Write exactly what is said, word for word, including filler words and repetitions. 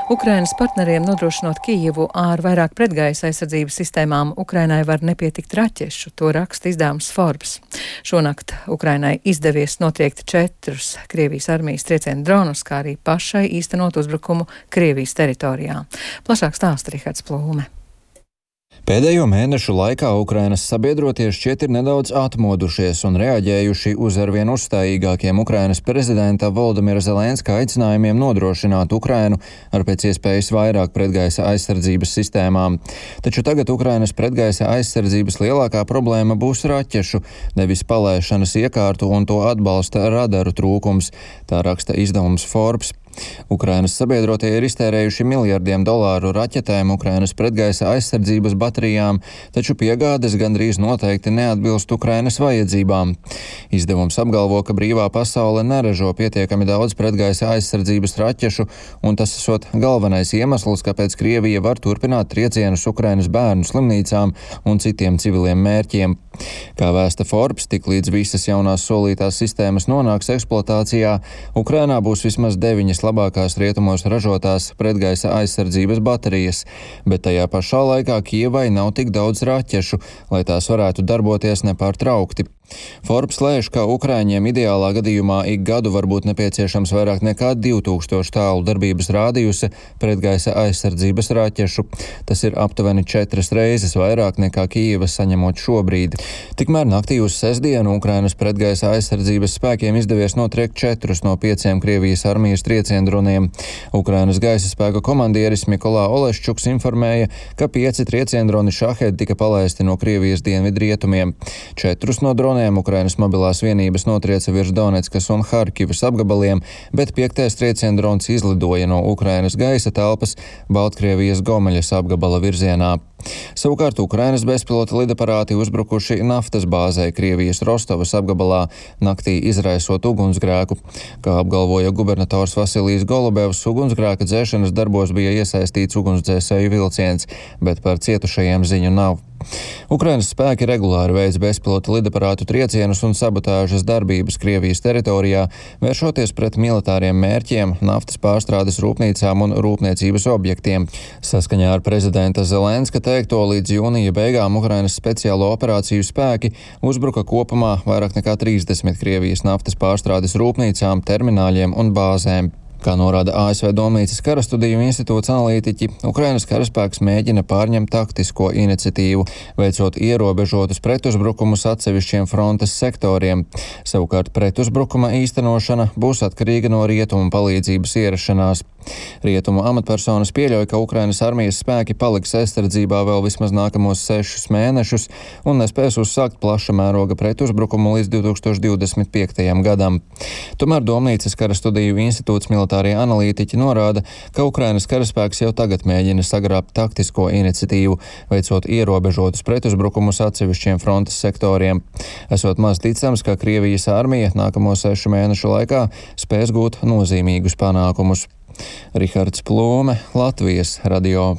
Ukrainas partneriem nodrošinot Kijivu ar vairāk pretgaisa aizsardzības sistēmām, Ukrainai var nepietikt raķešu, to raksta izdevums Forbes. Šonakt Ukrainai izdevies notriekt četrus Krievijas armijas triecienu dronus, kā arī pašai īstenot uzbrukumu Krievijas teritorijā. Plašāk stāsta Rihards Plūme. Pēdējo mēnešu laikā Ukrainas sabiedrotie šķiet ir nedaudz atmodušies un reaģējuši uz arvien uzstājīgākiem Ukrainas prezidenta Volodimira Zelenska aicinājumiem nodrošināt Ukrainu ar pēc iespējas vairāk pretgaisa aizsardzības sistēmām. Taču tagad Ukrainas pretgaisa aizsardzības lielākā problēma būs raķešu, nevis palaišanas iekārtu un to atbalsta radaru trūkums, tā raksta izdevums Forbes. Ukrainas sabiedrotie ir iztērējuši miljardiem dolāru raķetēm, Ukrainas pretgaisa aizsardzības baterijām, taču piegādes gandrīz noteikti neatbilst Ukrainas vajadzībām. Izdevums apgalvo, ka brīvā pasaule neražo pietiekami daudz pretgaisa aizsardzības raķešu, un tas esot galvenais iemesls, kāpēc Krievija var turpināt triecienus Ukrainas bērnu slimnīcām un citiem civiliem mērķiem. Kā vēsta Forbes, tiklīdz visas jaunās solītās sistēmas nonāks eksploatācijā, Ukrainā būs vismaz deviņas labākās rietumos ražotās pretgaisa aizsardzības baterijas, bet tajā pašā laikā Kijevai nav tik daudz raķešu, lai tās varētu darboties nepārtraukti. Forbes lēš, ka Ukraiņiem ideālā gadījumā ik gadu var būt nepieciešams vairāk nekā divi tūkstoši tālu darbības rādījusa pretgaisa aizsardzības raķešu. Tas ir aptuveni četras reizes vairāk nekā Kijeva saņemot šobrīd. Tikmēr naktī uz sestdienu Ukrainas pretgaisa aizsardzības spēkiem izdevies notriekt četrus no pieciem Krievijas armijas trieciendroniem. Ukrainas gaisa spēku komandieris Mikolā Oleščuks informēja, ka pieci trieciendroni Šahed tika palaisti no Krievijas dienvidrietumiem. Četrus no droniem Ukrainas mobilās vienības notrieca virs Doneckas un Harkivas apgabaliem, bet piektais trieciendrons izlidoja no Ukrainas gaisa telpas Baltkrievijas Gomeļas apgabala virzienā. Savukārt Ukrainas bezpilota lidaparāti uzbrukuši naftas bāzē Krievijas Rostovas apgabalā, naktī izraisot ugunsgrēku. Kā apgalvoja gubernators Vasilijs Golubevs, ugunsgrēka dzēšanas darbos bija iesaistīts ugunsdzēsēju vilciens, bet par cietušajiem ziņu nav. Ukrainas spēki regulāri veic bezpilota lidaparātu triecienus un sabotāžas darbības Krievijas teritorijā, vēršoties pret militāriem mērķiem, naftas pārstrādes rūpnīcām un rūpniecības objektiem. Saskaņā ar prezidenta Zelenska teikto, līdz jūnija beigām Ukrainas speciālo operāciju spēki uzbruka kopumā vairāk nekā trīsdesmit Krievijas naftas pārstrādes rūpnīcām, termināļiem un bāzēm. Kā norāda A S V Domnīcas karastudiju institūts analītiķi, Ukrainas karaspēks mēģina pārņemt taktisko iniciatīvu, veicot ierobežotus pretuzbrukumus atsevišķiem frontes sektoriem. Savukārt pretuzbrukuma īstenošana būs atkarīga no rietumu palīdzības ierašanās. Rietumu amatpersonas pieļauj, ka Ukrainas armijas spēki paliks aizsardzībā vēl vismaz nākamos sešus mēnešus un nespēs uzsākt plaša mēroga pretuzbrukumu līdz divi tūkstoši divdesmit piektajam gadam. Tomēr Domnīcas karastudiju institūts militārie analītiķi norāda, ka Ukrainas karaspēks jau tagad mēģina sagrābt taktisko iniciatīvu, veicot ierobežotus pretuzbrukumus atsevišķiem frontes sektoriem. Esot maz ticams, ka Krievijas armija nākamo sešu mēnešu laikā spēs gūt nozīmīgus panākumus. Rihards Plūme, Latvijas radio.